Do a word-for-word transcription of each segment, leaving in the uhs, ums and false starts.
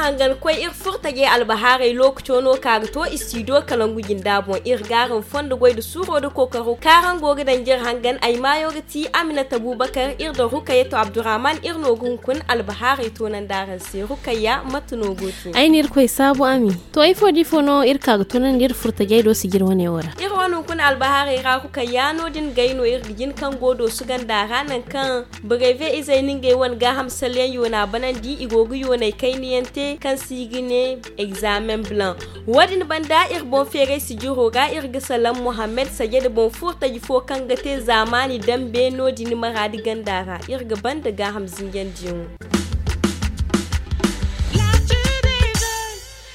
Hangan koy iri furtajey albahaarey lookaco no ka ga to istidiyo kalangu jinda boŋ. Iri gaaram fondo goy nda suuro nda kookaro kaaraŋ go ga danji iri hangan ay maayo ga ti aminata abubakar iri nda rukayatu abdurrahman iri no ga hunkuna albahaarey toonandi araŋ se rukayya mate no go te? Ay na irkoy saabu ami. To ifo da ifo no iri ka ga toonandi iri furtajey do sijir wane wo ra. Iri wane hunkuna albahaarey ra rukayya no- din gay no iri ga jin kaŋ go doosu ganda ra nangu kaŋ breve izey na ngey wane gaaham salyaŋ yoona banandi i go ga yoonay kaynayaŋ te kaŋ se i ga ne examen blanc. Wo- din banda iri boŋ feeray sijiro ra iri ga salaŋ mohammed sajada boŋ furtaji fo kaŋ ga te zaamaani dambe no- din maraadi ganda ra iri ga banda gaaham zinjandiyaŋo.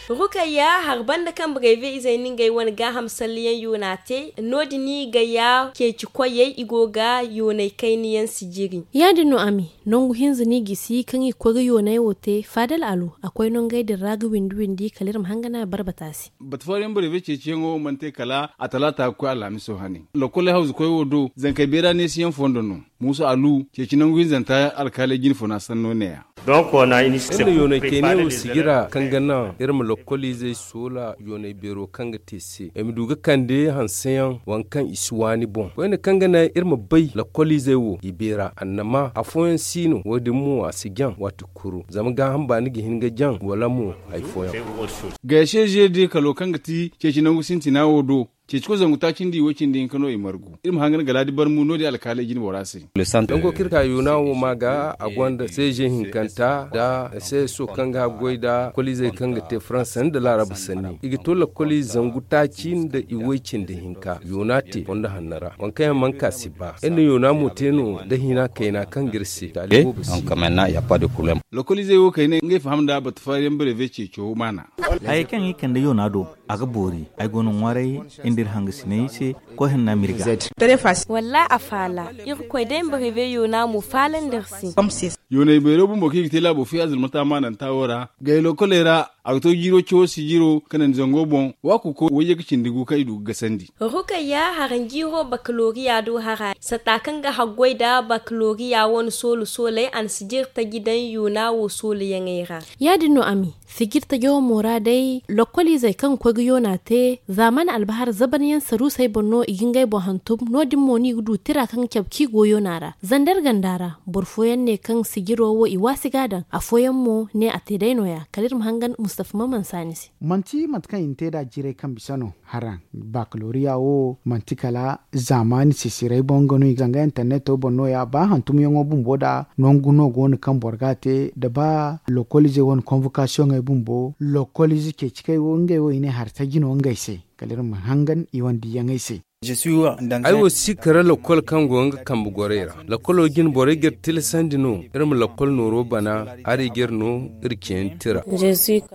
Rukayya hari banda kaŋ breve izey na ngey wane gaaham salliyaŋ yoona te no- din i ga ya ceeci koyey i go ga yoonay kayna yaŋ sijiri. Ya- din no ami nangu hinza no i gisi kaŋ i ga koy ga yoonay wo te faadal alu a koy nangey din ra ga windi windi kala iri ma hangan a barbata se. Bata fooyaŋ breve ceeciyaŋo mana te kala a talaata ga koy alhamiso hane. Lokol hawzu koy wo do zankey beera neesiyaŋ fondo no. Muusa alu ceeci nangu hinzanta alkaaley jine funa sanno ne- ya. Iri na yoonay kayne wo sijira kaŋ ga naŋ iri ma lokkoliizey soola yoonay beero kaŋ ga te se ay ma du ga kande hanseyaŋ waŋ kaŋ i si waani boŋ koyne kaŋ ga naŋ iri ma bay lokkoliizey wo i beera annama afooyaŋ si no wo- din mo a si jaŋ waati kulu zama gaaham baani ga hin ga jaŋ wala mo hari fooyaŋ. Gayase zeedi kalo kaŋ ga ti ceeci nangu sintina wo do. Ceeci koy zangu taaci nda i wo cindi hinka no i margu iri ma hangan galaadi barmu no- din alkaaley jine bora se. Nango kaŋ iri ka yoona wo ma ga a gonda seeze hinkanta nda seeso kaŋ ga goy nda koliizey kaŋ ga te faransa nda laaraba sanni i ga to lakkoli zangu taaci nda i woy cindi hinka yoona te fondo hanno ra waŋ kaŋ yaŋ mana ka si ba iri na yoona mo te no nda hina kayna kaŋ ga iri se. Lakkoliizey wo kayna ngey faham nda bata fariyaŋ breve ceeco maana. Hayey kaŋ i kande yoona do a ga boori. Ay go no ŋwaaray nda iri hangasiney se koy hanna m'iri ga. Wallahi a faala. Irkoy day ma reveyo na mo faalandi iri se. Yoonay beero bumbo kaŋ i ga te laabo fiya zirmata maananta wo ra gay lokoley ra. A ga to jiiro cawo sijiro kanandi zango boŋ. Waaku koy wayye ga cindi gu kaŋ i du ga gasandi. Rukayya haranjiiro bakaloriya do hara satta kaŋ ga haggoy nda bakaloriya wane soolu sooley a na sijiri taji daŋ yoona wo sooluyaŋey ra. Ya- din no ami. Sijir tajo mo ra day lokkoliizey kaŋ ga koy ga yoona te zaamaani albahar zabanyaŋ saruusey boŋ no i ga ngey boŋ hantum no- din mo no i ga du tira kaŋ ga cabe kaŋ i go yoona ra. Zander ganda ra boro fooyaŋ ne kaŋ sijiro wo i waasi ga a daŋ afooyaŋ mo ne a te day nooya kala iri ma hangan mustafa maman saani se. Manti mate kaŋ i na te nd'a jiirey kaŋ bisa no. Haraŋ bakaloriya wo manti kala zaamaani sisiray boŋ nga no i ga zanga interneto boŋ nooya ba hantumyaŋo bumbo nd'a nangu no go no kaŋ boro ga a te nda ba lokoliizey wane konvokasiyoŋey bumbo lokoliize ceeci kaŋ ay wo ngey wo i ne hari taji no ngey se. Kala iri ma hangan i wane diiyaŋey se. Ay wo si kara lakkol kaŋ go nga kambe gorey ra. Lakkolo jine borey ga iri tilasandi no iri ma lakkol nooro bana. Hari ga iri no iri ceeni tira.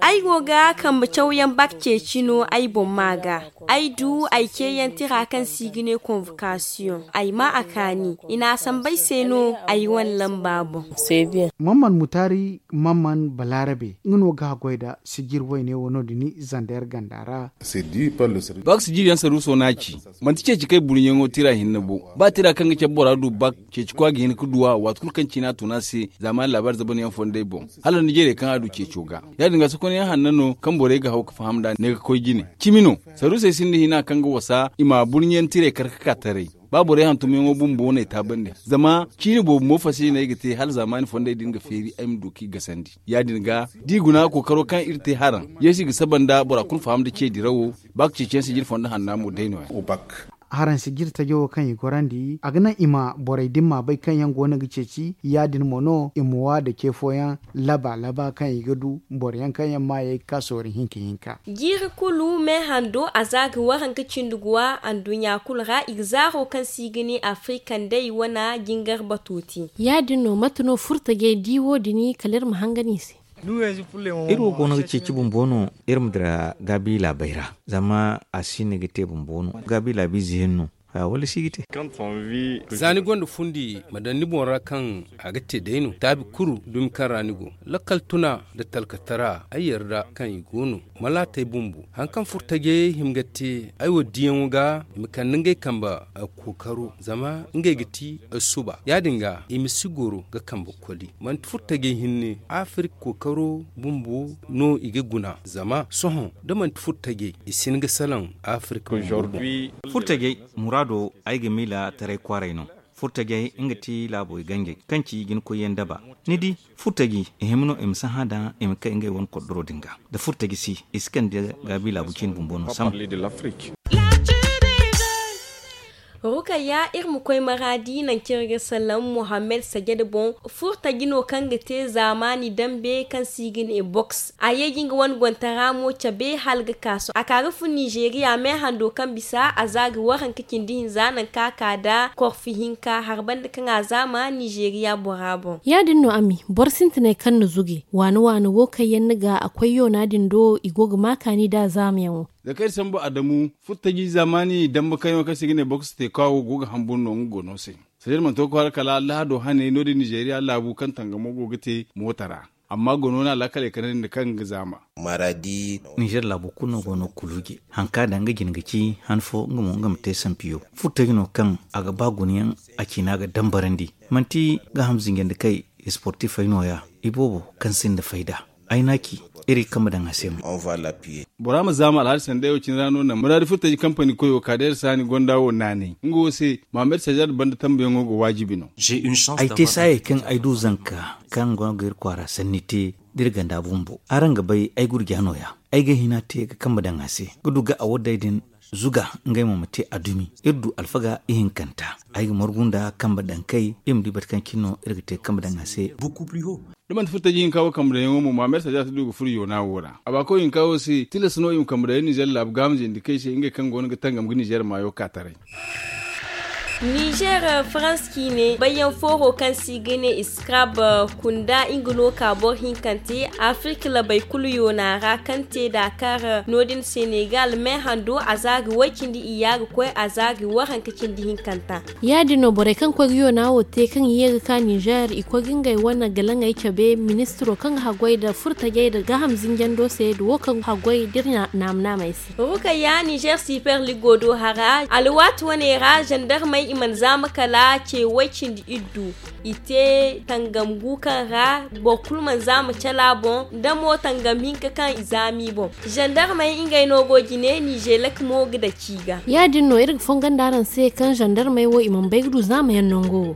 Ay go ga kambe cawyaŋ bak ceeci no ay boŋ ma ga. Ay du ay ceeyaŋ tira kaŋ se i ga ne konvokasiyoŋ ay ma a kaani i na a sambu ay se no. Ay wane lamba boŋ. Mamman mutaari mamman balaarabe nga no ga haggoy nda sijir wayne wo no- din zander ganda ra. Bak sijir yaŋ saruuso no a ci. Manti ceeci kaŋ ay burɲaŋo tira hinne bo. Ba tira kaŋ ga cabe bora du bak ceeci kwa ga hin ga du a waati kulu kaŋ ciina tun a se. Zaamaani laabaari zabanyaŋ fondey boŋ hala ni jeerey kaŋ a du ceeco ga. Ya- din ga sokonyaŋ hanno no kaŋ borey ga haw ga faham nd'a ne ga koy jine. Cimi no. Saruusey sinda hina kaŋ ga wasa i ma burɲaŋ tirey kar ga ka taray. Ba borey hantumyaŋo bumbo no ay taabandi zama ciini boobo mo fasi no ay ga te hala zaamaani fondey din ga feeri ay ma du k'i gasandi. Ya- din ga da i guna kookaro kaŋ iri te haraŋ yeesu i ga saba nda bora kulu faham nda ce dirawo. Ba ga ceeciyaŋ sijiri fondo hanna mo day nooya. Haraŋ sijiri tajo wo kaŋ i gorandi a ga naŋ i ma borey din ma bay kaŋ yaŋ go no ga ceeci ya- din mo no i ma wa nda ce fooyaŋ laba laba kaŋ i ga du boro yaŋ kaŋ yaŋ maayey ga ka soori hinka hinka. Jiiri kulu me hando a za ga waranka cindi guwa anduɲɲa kulu ra i ga zaaro kaŋ se i ga ne afrika nd'ey wane jingar bato te. Ya- din no mate no furtajey di wo- din kala iri ma hangan i se. Iri wo goono ga ceeci bumbo no iri ma dira gaabi laabey ra. Zama a si no ga te bumbo no gaabi laabiize yaŋ no. Wala si ga te. Za ni gonda fundi ma daŋ ni boŋ ra kaŋ a ga te day no taabi kuru dumi kaŋ ra ni go, lakkal tuna nda talkatara ay yarda kaŋ i go no. Malaatey bumbo hari kaŋ furtajey hima ga te ay wo diyaŋo ga i ma kande ngey kambe kookaro zama ngey ga ti suba ya- din ga i ma si goro ga kambe koli. Manti furtajey hinne afirik kookaro bumbo no i ga guna zama sohõ da manti furtajey i si hin ga salaŋ afirik bumbo boŋ. Furtajey muraado ay ga miila taray kwaaray no. Furtajey nga ti laabo i ganjey kaŋ ci jinakoyyaŋ daba. Ni di furtaji i hima no i ma sahã daŋ i ma kay ngey wane kordoro din ga. Da furtaji si i si kande gaabi laabu ciine bumbo no sambu. Rukayya iri ma koy maraadi nangu kaŋ iri ga salaŋ muhammed sajada boŋ. Furtaji no kaŋ ga te zaamaani dambe kaŋ se i ga ne boks a ye ga nga wane gontara mo cabe hala ga ka sohõ a ka ga fun nizeeriya me hando kaŋ bisa a za ga waranka cindi hinza nangu kaŋ a ka nda korfi hinka hari banda kaŋ a zaama nizeeriya bora boŋ. Ya- din no ami boro sintinay kaŋ na zuge waani waani wo kaŋ yaŋ ni ga a koy yoona din do i go ga ma kaani nd'a zaamayaŋo. Za kaŋ iri sambu adamu furtaji zaamaani dambe kaŋ yaŋo kaŋ se i ga ne boks te kaawo go ga hamburu no nga gono se. Sanda iri mana to ga kwaara kala allahado haney no- din nizeeriya laabu kaŋ tangamo go ga te moota ra. Amma gono no alaakaley kande nda kaŋ ga zaama. Nizer laabo kulu no go no kuluuje hari kaŋ a daŋ nga jine ga ci han fo nga mo nga ma te sampiyo. Furtaji no kaŋ a ga ba gunayaŋ a ciina ga dambarandi. Manti gaaham zinjandi kay isportifey no- ya iboobo kaŋ sinda fayda. Ay n'a ci iri ga kambe daŋ a se mo. Bora ma zaama alhaali sanday wo cine ra no naŋ muraadi furtaji kampani koyo ka da iri saani gonda wo naanay nga wo se. Mohammed sajaad banda tambuyaŋo ga waajibi no. Ay te saayey kaŋ ay du zanka kaŋ go ga iri kwaara sanni te da iri ganda bumbo araŋ ga bay ay gurja no- ya. Ay ga hina te ga kambe daŋ a se ga du ga a wadday din zuga ngey mo ma te a dumi iri du alfaga ihinkanta. Ay ga margu nda kambe daŋ kay iri ma di bate kaŋ cine no iri ga te ga kambe daŋ a se. Da manti furtaji hinka wo kambe daŋyaŋo mo mohammed sajaad si du ga furo yoona wo ra a ba koy hinka wo se tilas no i ma kambe daŋ nizer laabu gaaham zindi kay se ngey kaŋ go no ga tangam ga nizer maayo ka taray. Nizer farans ciine bayyaŋ fooro kaŋ se i ga ne iskrab kunda nga no ka boro hinkante afirka labey kulu yoona ra kaŋ te daakar no- din senegal me hando a za ga way-cindi iyya ga koy a za ga waranka cindi hinkanta. Ya- din no borey kaŋ koy ga yoona wo te kaŋ i ye ga ka nizer i koy ga ngey wane galaŋey cabe ministiro kaŋ ga haggoy nda furtajey nda gaaham zinjando se nda wo kaŋ ga haggoy da iri naama naamey se. Rukayya nizer siper ligo do hara alwaati wane ra zandarmey i mana zaama kala ce way-cindi iddu. I te tangam gu kaŋ ra boro kulu mana zaama cala boŋ nda mo tangam hinka kaŋ i zaama i boŋ. Zandarmey ngey no go jine nizelek mo ga daci i ga. Ya- din no iri ga fongo nda araŋ se kaŋ zandarmey wo i mana bay ga du zaamayaŋ nango wo.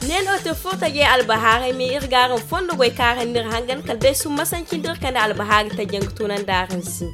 Ne no te furtajey albahaarey me iri ga araŋ fondo goy kaŋ araŋ n'iri hangan kala day summasanci nda iri kande albahaari tajjaŋ ga tunandi araŋ se.